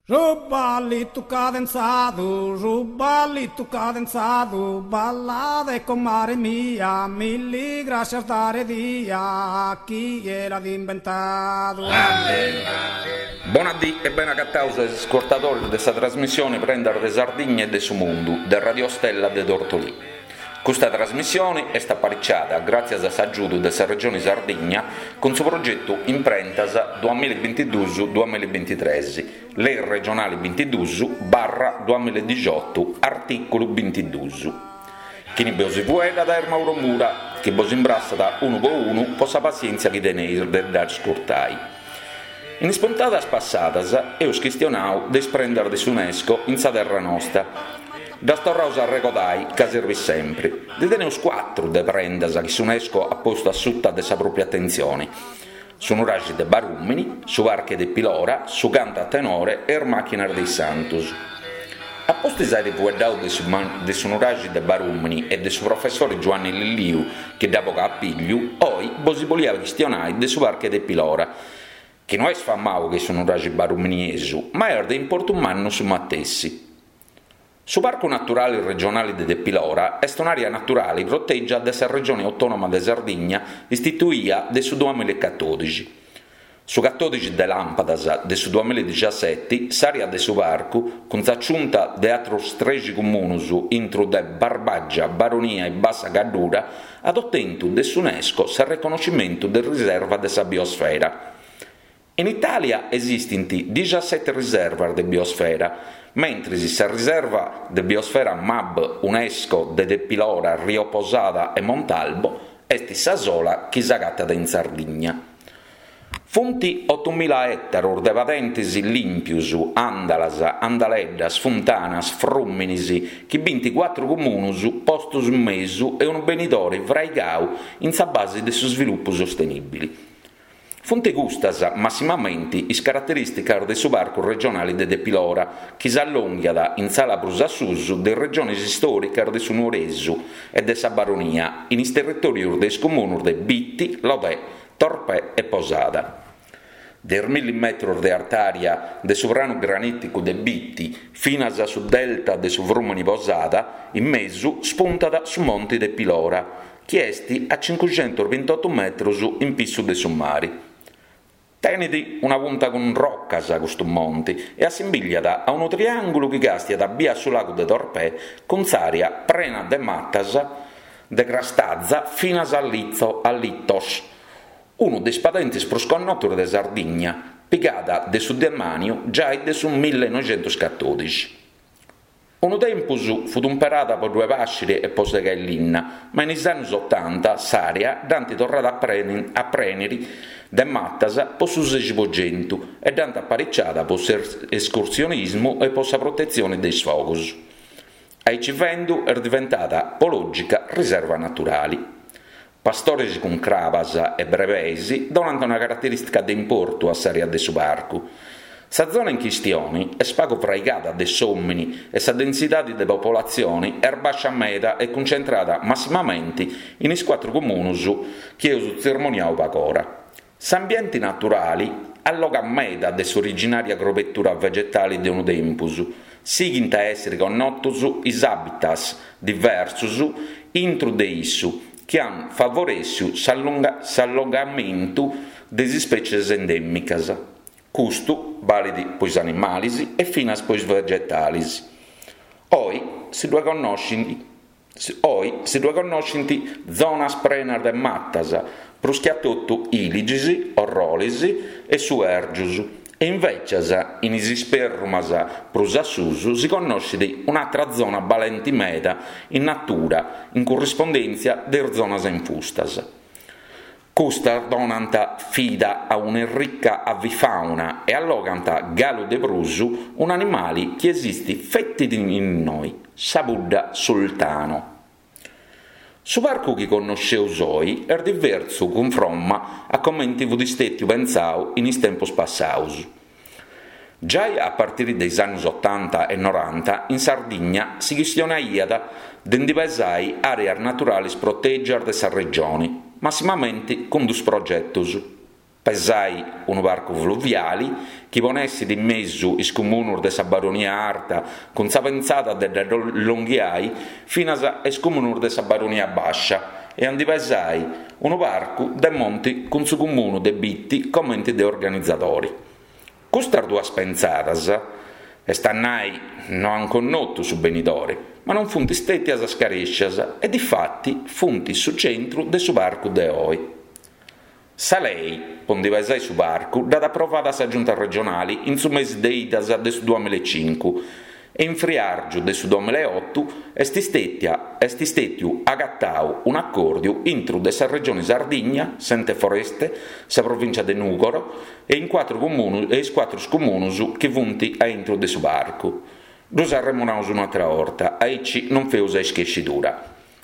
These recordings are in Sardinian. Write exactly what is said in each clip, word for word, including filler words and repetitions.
Su ballitu cadenzadu, su ballitu cadenzadu, ballade comare mia, milli grascias dare dia, chie l'at imbentadu. Bona dì e bene agataus a is ascurtadoris de sa trasmissioni Prendas de Sardigna e de su Mundu de Radio Stella de Tortolì. Custa trasmissioni est apariciada gràtzias a s'agiudu de sa Regioni Sardigna cun su progetu Imprentas duamilla e bintiduus duamilla e bintitres, Lei regionali bintiduus barra duamilla e dixiotu, artìculu bintiduus. Chini bosi fueddat est Mauro Mura, chi bos imbrassat unu po unu po sa passièntzia chi teneis de dd'ascurtai. In is puntadas passadas eus chistionau de is prendas de s'Unesco in sa terra nosta. Ddas torraus a arregodai ca serbit sempri. Ndi teneus cuatru de prendas chi s'Unesco at postu a suta de sa pròpia atentzioni, su nuraxi de Barùmini, su Parche Tepilora, su cantu a tenore e is màchinas de is Santus. A pustis àiri fueddau de su de su nuraxi de Barùmini e de su professori Giuanni Lilliu chi dd'at bogau a pillu, oi bosi bolia chistionai de su Parche Tepilora, chi no est famau che su nuraxi baruminiesu, ma est de importu mannu su matessi. Su Parcu Naturali Regionali de Tepilora est un'àrea naturali protègia de sa Regioni Autònoma de Sardigna istituia de su duamilla e catòdixi. Su catòdixi de làmpadas de su duamilla e dixaseti s'àrea de su parcu, cun s'aciunta de atrus trexi comunus intru de Barbàgia, Baronia e Bassa Gaddura, at otentu de s'Unesco s'arreconnoscimentu de riserva de sa biosfera. In Itàlia esistint dixaseti riservas de biosfera, mentris sa riserva de biosfera MAB Unesco de Tepilora, Rio Posada e Montalbo est sa sola chi s'agatat in Sardigna. Funt otumila ètaros de padentes lìmpios, àndalas, andaleddas, funtanas, frùminis, chi bint cuatru comunus postos in mesu e unu benidore fraigau in sa base de su svilupu sostenìbili. Funt custas, massimamenti, is caraterìsticas de su Parcu Regionali de Tepilora, chi s'allònghiat in s'ala prus a susu de is regionis istòricas de su Nuoresu e de sa Baronia, in is territòrios de is comunus de Bitti, Lodè, Torpè e Posada. De is milli metros de artària de su pranu granìticu de Bitti finas a su delta de su frùmini Posada, in mesu spuntat su Monti Tepilora, chi est a cincuxentos bintotu metros in pissu de su mari. Tenet una punta cun rocas custu monti e assimbigliat a unu triàngulu chi càstiat bia su lagu de Torpè cun s'àrea prena de matas de crastaza finas a Litzo, a Litos, unu de is padentes prus connotos de Sardigna, pigada de su demàniu giai de su millenoixentoscatòdixi. Unu tempus fut umperada po ddue pàsciri e po segai linna, ma in is annus otanta s'àrea dd'ant torrada a a prèniri de matas po su sexi po centu e dd'ant apariciada po s'escursionismu e po sa protetzioni de is fogus. Aici fendu est diventada po lògica riserva naturali. Pastores cun crabas e brebeis donant una caraterìstica de importu a s'àrea de su parcu. Sa zona in chistioni est pagu fraigada de s'òmini e sa densidade de popolatzione est bàscia meda e cuncentrada massimamenti in is cuatru comunus chi eus tzermoniau pagora. S'ambiente naturali allogat meda de s'originària crobetura vegetale de unu tempus. Sighint a èssere connotos is habitats diversos intro de issu chi ant favorèssiu s'allogamentu de is ispècies endèmicas. Custu balit po is animales e finas po is vegetales. Oi si ddue connoschint oi si ddue connoschint zonas prenas de matas, prus che a totu ìligis, orrolis e suèrgios, e invècias in is isperrumas prus a susu si connoschet un'àtera zona balente meda in natura, in currispondèntzia de is zonas infustas. Custas donant fida a un'errica avifauna e allogant galu de prus un'animale chi esistit feti innoi, sa pudda sultano. Su parcu chi connosceus oi est diversu cunfromma a comente fut istètiu pentzau in is tempos passaus. Giai a partire de is annos otanta e noranta in Sardigna si chistionaiat de ndi pesai àreas naturales protègias de sa regione, massimamente cun dus progetos. Pesai unu parcu fluviali chi ponessit in mesu is comunus de sa Baronia Arta cun sa pensada de dda allonghiai finas a is comunus de sa Baronia Bàscia e a ndi pesai unu parcu de monti cun su comunu de Bitti comenti de organizadori. Custas duas pensadas, est a nai, no ant connotu su benidori, ma non funt stètias scarèscias e difati funt su centru de su parcu de oi. Sa lei po ndi pesai su parcu dd'at aprovada sa Giunta regionali in su mesi de Idas de su duamilla e cincu e in friàrgiu de su duamilla e otu est stètia est stètiu agatau un'acòrdiu intru de sa Regioni Sardigna, s'Ente Foreste, sa Provìncia de Nùgoro e in cuatru comunus e is cuatru comunus chi funt a intru de su parcu. Ddus arremonaus un'atra 'orta, aici non feus a ischescidura.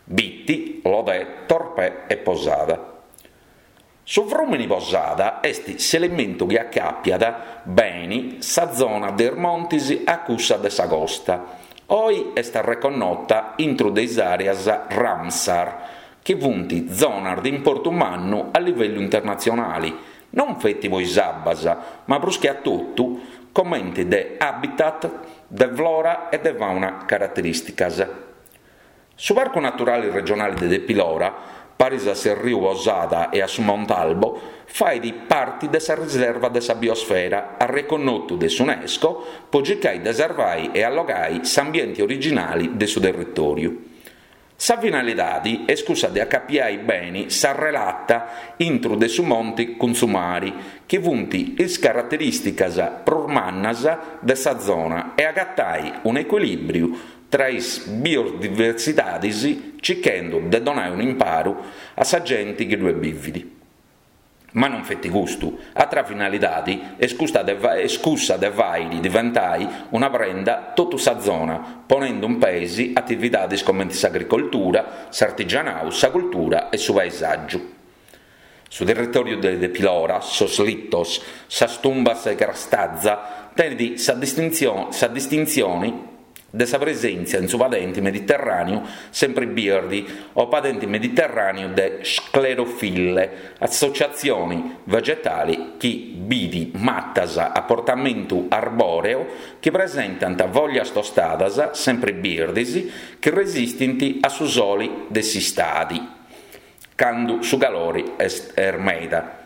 Bitti, Lodè, Torpè e Posada. Su frùmini Posada est s'elementu chi acàpiat beni sa zona de is montis a cussa de sa costa. Oi est arreconnota intru de is àreas Ramsar, chi funt zonas de importu mannu a livellu internatzionali, non feti po is abbas, ma prus che a totu comenti de habitat de flora e de fauna caraterìsticas. Su Parcu Naturali Regionali de Tepilora, paris a s'erriu Posada e a su Montalbo, fait parti de sa Riserva de sa Biosfera, arreconnotu de s'UNESCO po circai de sarvai e allogai s'ambienti originali de su territòriu. Sa finalidadi est cussa de acapiai beni sa relata intru de su monti cun su mari, chi funt is caraterìsticas prus mannas de sa zona e agatai un'ecuilìbriu tra is biodiversidadis circhendu de donai un'imparu a sa genti chi ddue bivit. Ma non feti custu, atra finalidadi est custa de est cussa de fàiri diventai una prenda totu sa zona, ponendu in peis atividadis comenti s'agricoltura, s'artigianau, sa cultura e su paesàgiu. Su territòriu de Tepilora, sos litos, sas tumbas de Crastazza, tenit sa sa distintzioni de sa presèntzia in su padenti mediterràneu sempri birdi o padenti mediterràneu de sclerofille, associatzioni vegetali chi bidi matas a portamentu arboreo chi presentant foglias tostadas sempri birdis chi resistint a su soli de s'istadi, candu su calori est meda.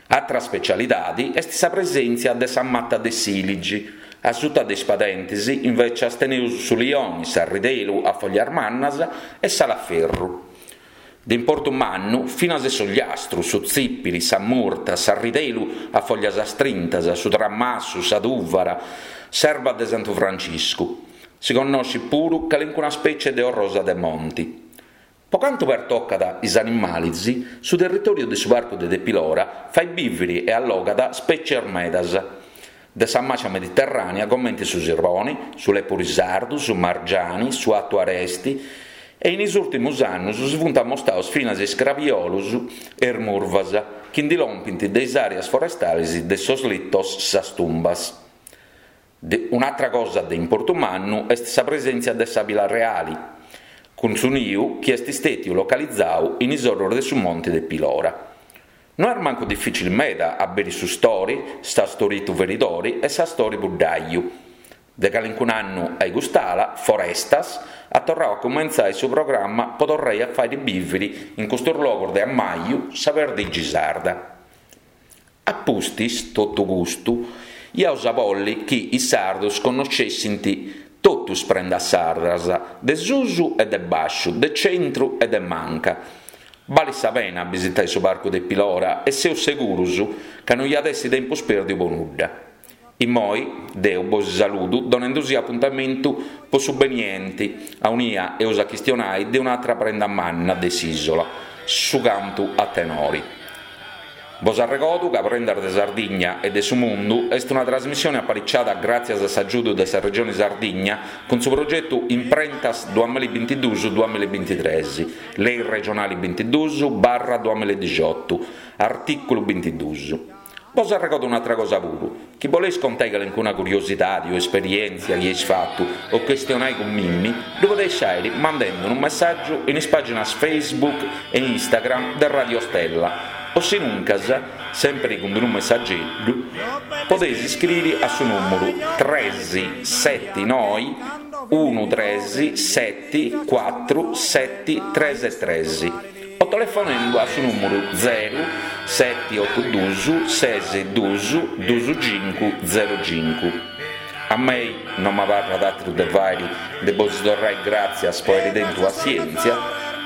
Atra specialidadi est sa presèntzia de sa mata de s'ìligi. A suta de is padentis, invecias, teneus su lioni, s'arridelu a foglias mannas e s'alaferru. De importu mannu finas s'ogliastru, su tzìpili, sa murta, s'arridelu a foglias astrintas, su tramassu, sa tùvara, s'erba de Santu Franciscu. Si connoscit puru calincuna spècie de orrosa de monti. Po cantu pertocat is animalis, su territòriu de su Parcu de Tepilora fait bìviri e allogat spècies medas de sa màcia mediterrànea comente su sirboni, su lepuri sardu, su margiani, su atu aresti e in is ùrtimus annus si funt ammostaus finas is crabiolus e is murvas chi ndi lompint de is àreas forestalis de sos litos sas tumbas. De un'atra cosa de importu mannu est sa presèntzia de s'àbila reali, cun su niu chi est stètiu localizau in is orros de su monti de Pilora. No est mancu difìcili meda a biri su stori, s'astoritu feridori e s'astori buddaiu. De calincun'annu a cust'ala, Forestas at torrau a cumentzai su programma po torrai a fàiri bìviri in custos logos de ammaju sa perdigi sarda. A pustis totu custu, iaus a bolli chi is sardos connoscessint totu is prendas sardas, de susu e de bàsciu, de centru e de manca. Balit sa pena a bisitai su Parcu de Pilora e seus segurus ca no iat essi tempus pèrdiu po nudda. Immoi deu bos saludu donendusì apuntamentu po su benienti, aunia eus a chistionai de un'atra prenda manna de s'isola, su cantu a tenori. Bos arregodu ca Prendas de Sardigna e de su Mundu est una trasmissione apariciada gràtzias a s'agiudu de sa Regione Sardigna cun su progetu Imprentas duamilla e bintiduus duamilla e bintitrès, Lei regionali bintiduus barra duamilla e dixiotu, artìculu bintiduus. Bos arregodo un'atra cosa puru, chi boleis contai calincuna curiosidadi o esperièntzia chi eis fatu o chistionai cun mimmi, ddu podeis fàiri mandende unu messàgiu in is pàginas Facebook e Instagram de Radio Stella O sinuncas, sempri cun unu messageddu, podeis iscriri a su nùmeru tres seti noi unu tres seti cuatru seti tres tres o telefonendu a su nùmeru zeru seti otu dus ses dus dus cincu zeru cincu. A mei no m'abarrat àteru de fàiri de bos torrai gràtzias po àiri tentu passièntzia,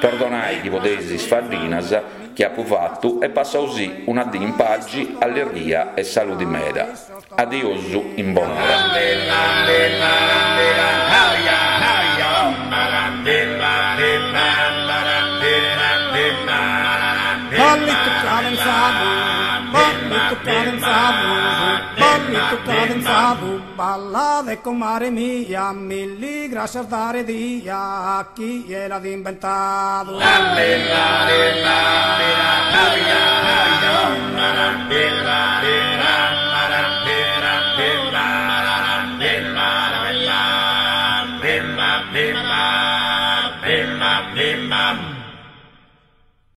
perdonai chi podeis is faddinas chi apu fatu e passausì una dì in pagi, allegria e saludi meda. Adiosu in bonora. Ballito cadenzado, ballito cadenzado, ballito cadenzado, balla de comare mia, milli gracias dare dia a chi l'ha inventato. Bimba, bimba, bimba.